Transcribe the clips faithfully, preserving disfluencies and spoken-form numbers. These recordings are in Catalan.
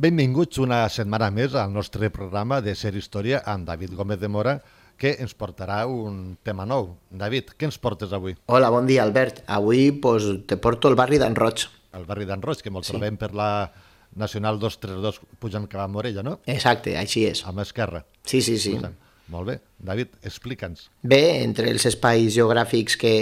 Benvinguts una setmana més al nostre programa de Ser Història amb David Gómez de Mora, que ens portarà un tema nou. David, què ens portes avui? Hola, bon dia, Albert. Avui pues, te porto el barri d'en Roig. El barri d'en Roig, que molt Sí. trobem per la Nacional dos trenta dos pujant cap a Morella, no? Exacte, així és. A mà esquerra. Sí, sí, sí. Pujant. Molt bé. David, explica'ns. Bé, entre els espais geogràfics que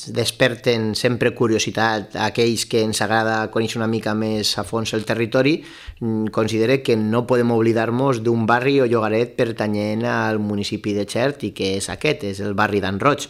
desperten sempre curiositat a aquells que ens agrada conèixer una mica més a fons el territori, mm, considere que no podem oblidar-nos d'un barri o llogaret pertanyent al municipi de Xert i que és aquest, és el barri d'en Roig.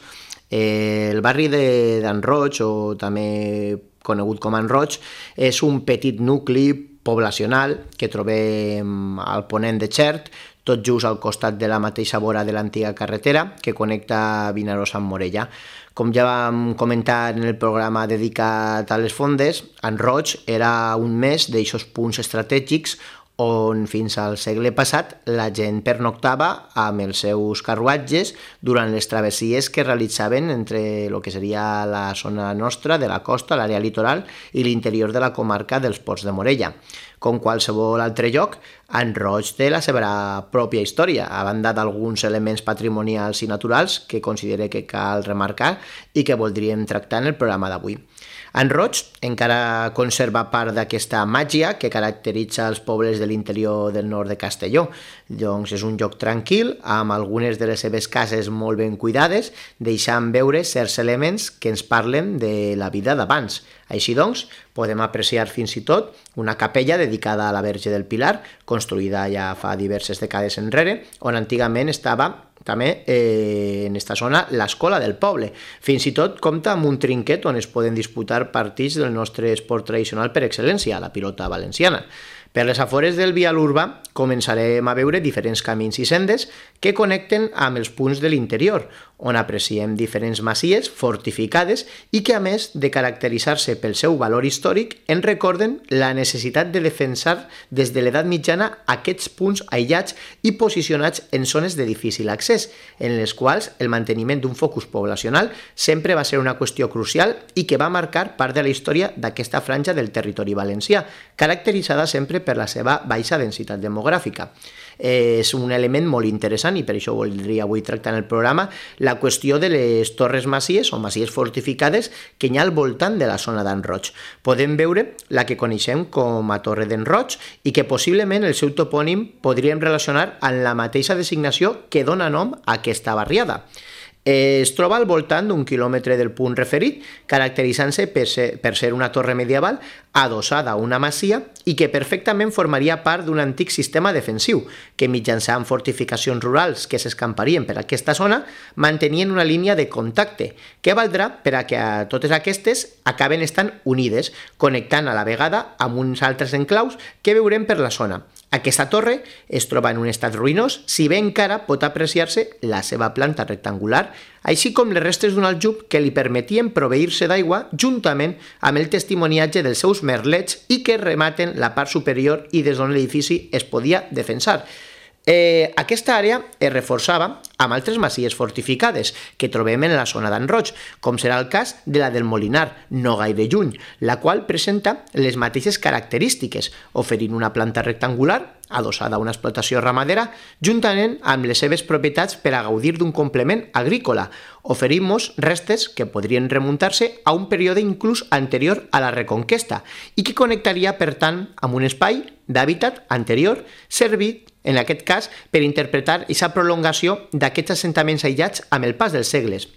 Eh, el barri de- d'en Roig, o també conegut com en Roig, és un petit nucli poblacional que trobem al ponent de Xert, tot just al costat de la mateixa vora de l'antiga carretera que connecta Vinaròs amb Morella. Com ja vam comentar en el programa dedicat a les fondes, en Roig era un més d'eixos punts estratègics on fins al segle passat la gent pernoctava amb els seus carruatges durant les travessies que realitzaven entre el que seria la zona nostra de la costa, l'àrea litoral, i l'interior de la comarca dels Ports de Morella. Com qualsevol altre lloc, en Roig té la seva pròpia història, a banda d'alguns elements patrimonials i naturals que considere que cal remarcar i que voldríem tractar en el programa d'avui. En Roig encara conserva part d'aquesta màgia que caracteritza els pobles de l'interior del nord de Castelló. Doncs és un lloc tranquil, amb algunes de les seves cases molt ben cuidades, deixant veure certs elements que ens parlen de la vida d'abans. Així doncs, podem apreciar fins i tot una capella dedicada a la Verge del Pilar, construïda ja fa diverses dècades enrere, on antigament estava també eh, en esta zona l'escola del poble. Fins i tot compta amb un trinquet on es poden disputar partits del nostre esport tradicional per excel·lència, la pilota valenciana. Per les afores del vial urbà començarem a veure diferents camins i sendes que connecten amb els punts de l'interior, on apreciem diferents masies fortificades i que, a més de caracteritzar-se pel seu valor històric, ens recorden la necessitat de defensar des de l'edat mitjana aquests punts aïllats i posicionats en zones de difícil accés, en les quals el manteniment d'un focus poblacional sempre va ser una qüestió crucial i que va marcar part de la història d'aquesta franja del territori valencià, caracteritzada sempre per la seva baixa densitat demogràfica. És un element molt interessant i per això voldria avui tractar en el programa la qüestió de les torres masies o masies fortificades que hi ha al voltant de la zona d'en Roig. Podem veure la que coneixem com a Torre d'en Roig i que possiblement el seu topònim podríem relacionar amb la mateixa designació que dona nom a aquesta barriada. Es troba al voltant d'un quilòmetre del punt referit, caracteritzant-se per ser, per ser una torre medieval adossada a una masia i que perfectament formaria part d'un antic sistema defensiu, que mitjançant fortificacions rurals que s'escamparien per aquesta zona, mantenien una línia de contacte, que valdrà per a que a totes aquestes acaben estant unides, connectant a la vegada amb uns altres enclaus que veurem per la zona. Aquesta torre es troba en un estat ruïnós, si bé encara pot apreciar-se la seva planta rectangular, així com les restes d'un aljub que li permetien proveir-se d'aigua juntament amb el testimoniatge dels seus merlets i que rematen la part superior i des d'on l'edifici es podia defensar. Eh, aquesta àrea es reforçava amb altres masies fortificades que trobem en la zona d'en Roig, com serà el cas de la del Molinar, no gaire lluny, la qual presenta les mateixes característiques, oferint una planta rectangular adossada a una explotació ramadera, juntament amb les seves propietats per a gaudir d'un complement agrícola, oferint-nos restes que podrien remuntar-se a un període inclús anterior a la Reconquesta i que connectaria, per tant, amb un espai d'hàbitat anterior servit, en aquest cas, per interpretar aquesta prolongació d'aquests assentaments aïllats amb el pas dels segles.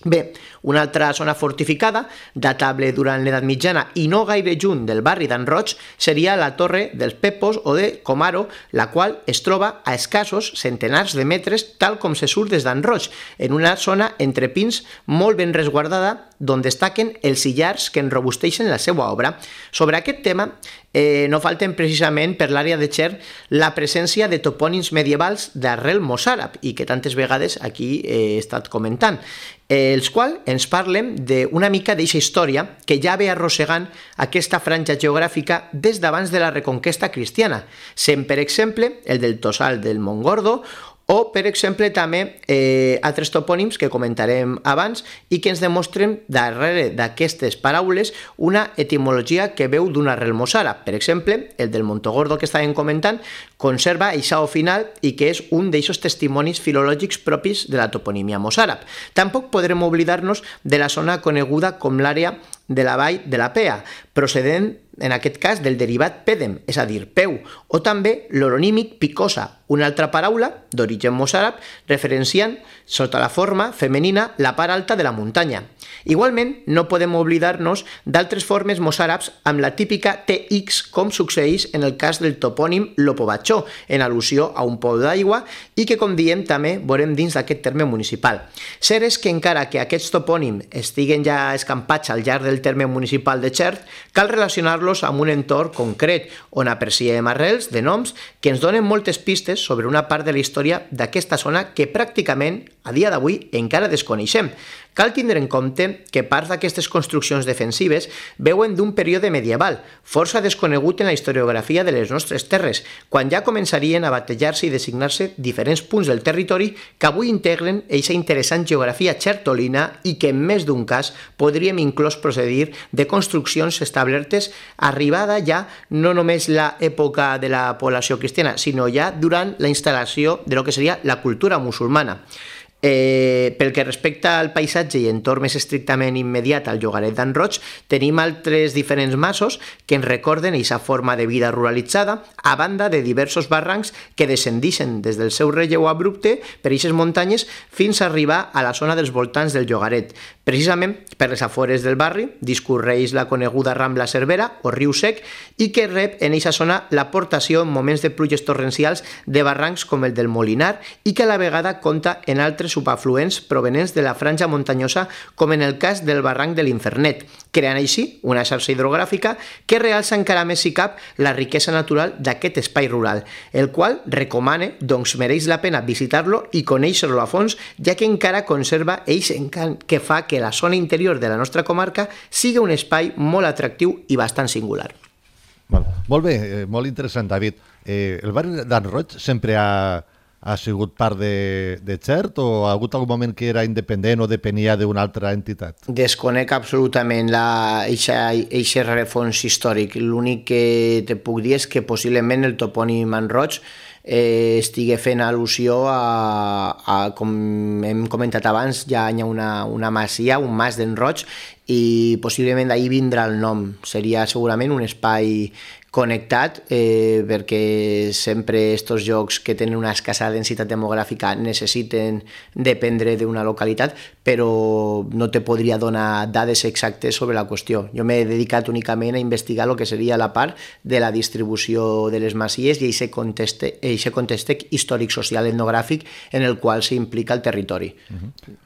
Bé, una altra zona fortificada, datable durant l'edat mitjana i no gaire lluny del barri d'en Roig, seria la Torre dels Pepos o de Comaro, la qual es troba a escassos centenars de metres, tal com se surt des d'en Roig, en una zona entre pins molt ben resguardada, d'on destaquen els illars que enrobusteixen la seva obra. Sobre aquest tema, eh, no falten precisament per l'àrea de Xert la presència de topònims medievals d'arrel mossàrab i que tantes vegades aquí he estat comentant, eh, els quals ens parlen d'una mica d'eixa història que ja ve arrossegant aquesta franja geogràfica des d'abans de la Reconquesta cristiana, sent per exemple el del Tossal del Montgordo o, per exemple, també eh, altres topònims que comentarem abans i que ens demostren darrere d'aquestes paraules una etimologia que veu d'un arrel mossàrab. Per exemple, el del Montogordo que estàvem comentant conserva eixa o final i que és un d'eixos testimonis filològics propis de la toponímia mossàrab. Tampoc podrem oblidar-nos de la zona coneguda com l'àrea de la vall de la Pea, procedent en aquest cas del derivat pèdem, és a dir, peu, o també l'oronímic picosa, una altra paraula d'origen mossàrab referenciant sota la forma femenina la part alta de la muntanya. Igualment, no podem oblidar-nos d'altres formes mossàrabs amb la típica T X, com succeeix en el cas del topònim Lopobatxó, en al·lusió a un pou d'aigua i que, com diem, també veurem dins d'aquest terme municipal. Cert és que encara que aquests topònims estiguen ja escampats al llarg del terme municipal de Xert, cal relacionar-los amb un entorn concret, on apreciem arrels de noms que ens donen moltes pistes sobre una part de la història d'aquesta zona que pràcticament a dia d'avui encara desconeixem. Cal tindre en compte que parts d'aquestes construccions defensives veuen d'un període medieval, força desconegut en la historiografia de les nostres terres, quan ja començarien a batejar-se i designar-se diferents punts del territori que avui integren eixa interessant geografia xertolina i que en més d'un cas podríem inclús procedir de construccions establertes arribada ja no només l'època de la població cristiana, sinó ja durant la instal·lació de lo que seria la cultura musulmana. Eh, pel que respecta al paisatge i entorn més estrictament immediat al llogaret d'en Roig, tenim altres diferents masos que ens recorden aquesta forma de vida ruralitzada, a banda de diversos barrancs que descendixen des del seu relleu abrupte per aquestes muntanyes fins a arribar a la zona dels voltants del llogaret. Precisament per les afores del barri discorreix la coneguda Rambla Cervera o Riu Sec i que rep en aquesta zona l'aportació en moments de pluges torrencials de barrancs com el del Molinar i que a la vegada compta en altres subafluents provenents de la franja muntanyosa, com en el cas del barranc de l'Infernet, creant així una xarxa hidrogràfica que realça encara més si cap la riquesa natural d'aquest espai rural, el qual recomane, doncs mereix la pena visitar-lo i conèixer-lo a fons, ja que encara conserva eixe encant que fa que la zona interior de la nostra comarca sigui un espai molt atractiu i bastant singular. Bueno, molt bé, eh, molt interessant, David. Eh, el barri d'en Roig sempre ha ha sigut part de, de Xert o ha hagut algun moment que era independent o depenia d'una altra entitat? Desconec absolutament aquest rerefons històric. L'únic que te puc dir és que possiblement el topònim en Roig eh, estigui fent al·lusió a, a, com hem comentat abans, ja hi ha una, una masia, un mas d'en Roig, i possiblement d'ahir vindrà el nom. Seria segurament un espai connectat, eh, perquè sempre aquests llocs que tenen una escassa densitat demogràfica necessiten dependre d'una localitat, però no te podria donar dades exactes sobre la qüestió. Jo m'he dedicat únicament a investigar el que seria la part de la distribució de les masies i aquest context, aquest context històric, social, etnogràfic en el qual s'implica el territori. Uh-huh.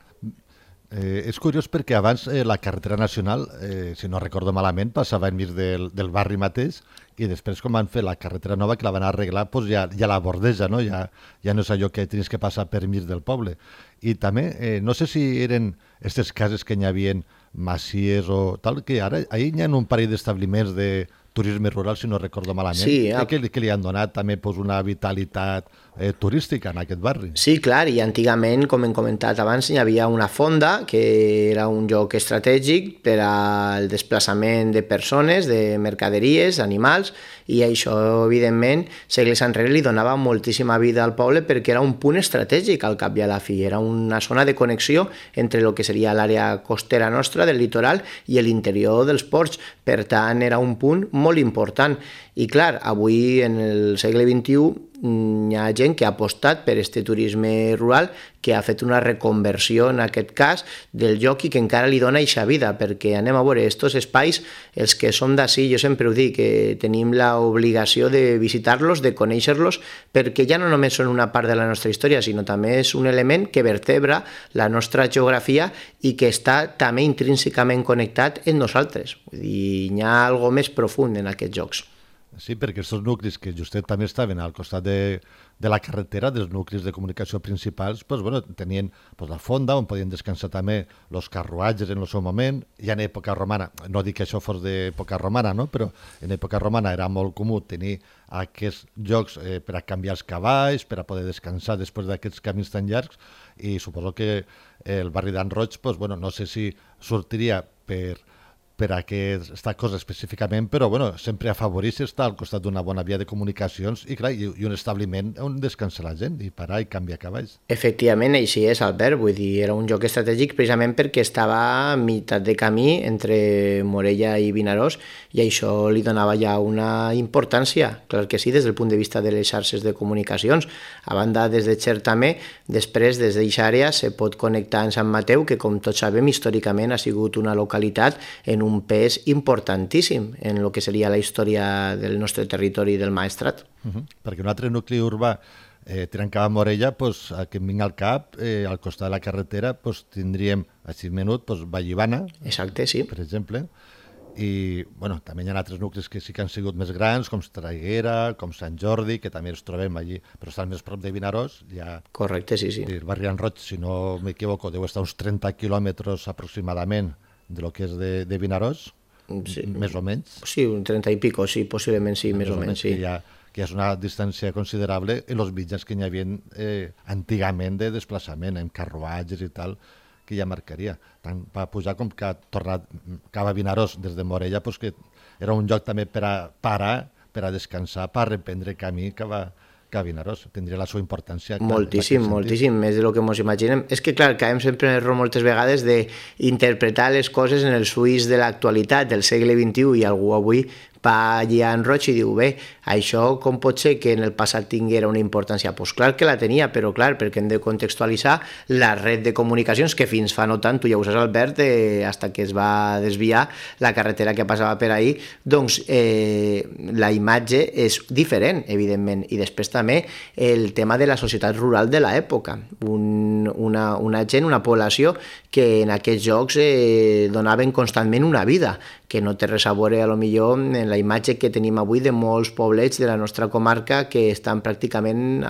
Eh, és curiós perquè abans eh, la carretera nacional, eh, si no recordo malament, passava enmig del, del barri mateix i després quan van fer la carretera nova que la van arreglar doncs ja, ja la bordeja, no? Ja, ja no és allò que tenies que passar per mig del poble. I també, eh, no sé si eren aquestes cases que hi havia masies o tal, que ara ahir hi ha un parell d'establiments de turisme rural, si no recordo malament, sí, ja. que, que li han donat també pues, una vitalitat eh, turística en aquest barri. Sí, clar, i antigament, com hem comentat abans, hi havia una fonda que era un lloc estratègic per al desplaçament de persones, de mercaderies, animals, i això, evidentment, segles enrere li donava moltíssima vida al poble perquè era un punt estratègic al cap i a la fi, era una zona de connexió entre el que seria l'àrea costera nostra, del litoral, i l'interior dels ports. Per tant, era un punt molt important. I clar, avui, en el segle vint-i-u, hi ha gent que ha apostat per aquest turisme rural, que ha fet una reconversió, en aquest cas, del lloc i que encara li dona eixa vida, perquè anem a veure, aquests espais, els que som d'ací, jo sempre ho dic, que tenim l'obligació de visitar-los, de conèixer-los, perquè ja no només són una part de la nostra història, sinó també és un element que vertebra la nostra geografia i que està també intrínsecament connectat en nosaltres. Vull dir, hi ha alguna més profund en aquests jocs. Sí, perquè aquests nuclis que justet també estaven al costat de, de la carretera, dels nuclis de comunicació principals, pues, bueno, tenien pues, la fonda on podien descansar també els carruatges en el seu moment, i en època romana, no dic que això fos d'època romana, no? Però en època romana era molt comú tenir aquests llocs eh, per a canviar els cavalls, per a poder descansar després d'aquests camins tan llargs, i suposo que el barri d'en Roig, pues, bueno, no sé si sortiria per per a aquesta cosa específicament, però bueno, sempre afavoreix estar al costat d'una bona via de comunicacions i, clar, i, i un establiment on descansa la gent i parar i canviar cavalls. Efectivament, així és, Albert, vull dir, era un lloc estratègic precisament perquè estava a meitat de camí entre Morella i Vinaròs i això li donava ja una importància, clar que sí, des del punt de vista de les xarxes de comunicacions. A banda, des de Xert també, després, des d'aquesta àrea, se pot connectar amb Sant Mateu, que com tots sabem, històricament ha sigut una localitat en un pes importantíssim en el que seria la història del nostre territori del Maestrat. Uh -huh. Perquè un altre nucli urbà eh, tirant cap a Morella, pues, que em vinga al cap, eh, al costat de la carretera, pues, tindríem a sis minuts pues, Vallivana, exacte, sí. Per exemple, i bueno, també hi ha altres nuclis que sí que han sigut més grans, com Traiguera, com Sant Jordi, que també els trobem allí, però estan més prop de Vinaròs. Ja, correcte, sí, sí. El barri en Roig, si no m'equivoco, deu estar uns trenta quilòmetres aproximadament de lo que és de, de Vinaròs, sí. Més o menys. Sí, un trenta i pico, sí, possiblement sí, més, més o menys, sí. Que ja, que és una distància considerable en els mitjans que hi havia eh, antigament de desplaçament, en carruatges i tal, que ja marcaria. Tant va pujar com que ha tornat cap a Vinaròs des de Morella, pues que era un lloc també per a parar, per a descansar, per a reprendre camí cap a, cap a Vinaròs. Tindria la seva importància. Clar, moltíssim, moltíssim, més del que ens imaginem. És que, clar, caiem sempre en l'error moltes vegades d'interpretar les coses en els ulls de l'actualitat, del segle vint-i-u, i algú avui va allà en Roig i diu, bé, això com pot ser que en el passat tinguera una importància? Doncs pues clar que la tenia, però clar, perquè hem de contextualitzar la red de comunicacions que fins fa no tant, tu ja ho saps, Albert, eh, hasta que es va desviar la carretera que passava per ahí, doncs eh, la imatge és diferent, evidentment, i després també el tema de la societat rural de l'època, un, una, una gent, una població que en aquests jocs eh, donaven constantment una vida, que no té res a veure, a lo millor, en la imatge que tenim avui de molts poblets de la nostra comarca que estan pràcticament,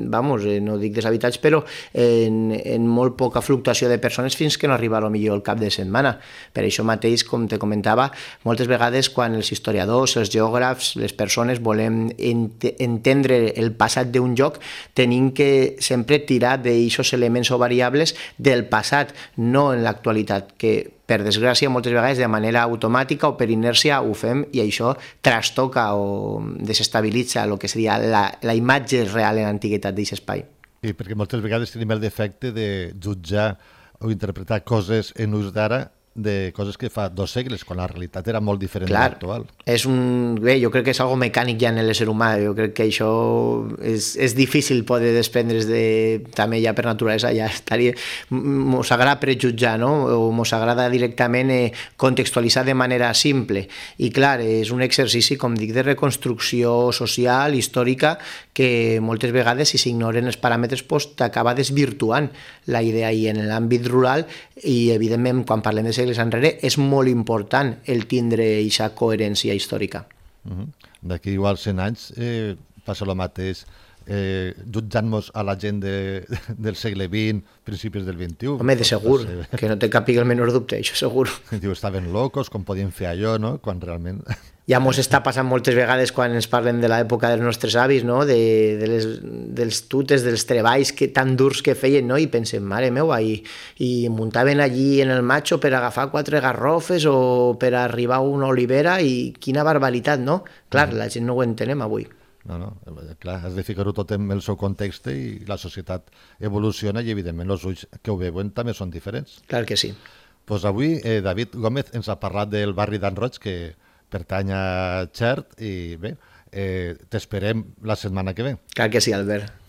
vamos, no dic deshabitats, però en, en molt poca fluctuació de persones fins que no arriba a lo millor el cap de setmana. Per això mateix, com te comentava, moltes vegades quan els historiadors, els geògrafs, les persones volem ent entendre el passat d'un lloc, tenim que sempre tirar d'aixos elements o variables del passat, no en l'actualitat, que per desgràcia, moltes vegades de manera automàtica o per inèrcia ho fem i això trastoca o desestabilitza el que seria la, la imatge real en l'antiguitat d'aquest espai. Sí, perquè moltes vegades tenim el defecte de jutjar o interpretar coses en ús d'ara de coses que fa dos segles, quan la realitat era molt diferent de l'actual. És un... Bé, jo crec que és algo mecànic ja en l'ésser humà, jo crec que això és, és difícil poder desprendre's de... també ja per naturalesa ja estaria... Mos agrada prejutjar, no? O mos agrada directament eh, contextualitzar de manera simple. I clar, és un exercici, com dic, de reconstrucció social, històrica, que moltes vegades, si s'ignoren els paràmetres, pues, t'acaba desvirtuant la idea. I en l'àmbit rural, i evidentment, quan parlem de segles enrere, és molt important el tindre aquesta coherència històrica. Uh -huh. D'aquí igual cent anys eh, passa el mateix, eh, jutjant-nos a la gent de, del segle vint, principis del vint-i-u. Home, de segur, que no te capiga el menor dubte, això segur. Diu, estaven locos, com podien fer allò, no? Quan realment... Ja mos està passant moltes vegades quan ens parlem de l'època dels nostres avis, no? de, de les, dels tutes, dels treballs que, tan durs que feien, no? I pensem, mare meua, i, i muntaven allí en el macho per agafar quatre garrofes o per arribar a una olivera, i quina barbaritat, no? Clar, la gent no ho entenem avui. No, no, clar, has de ficar-ho tot en el seu context i la societat evoluciona i, evidentment, els ulls que ho veuen també són diferents. Clar que sí. Doncs avui eh, David Gómez ens ha parlat del barri d'en Roig, que pertany a Xert, i bé, eh, t'esperem la setmana que ve. Clar que sí, Albert.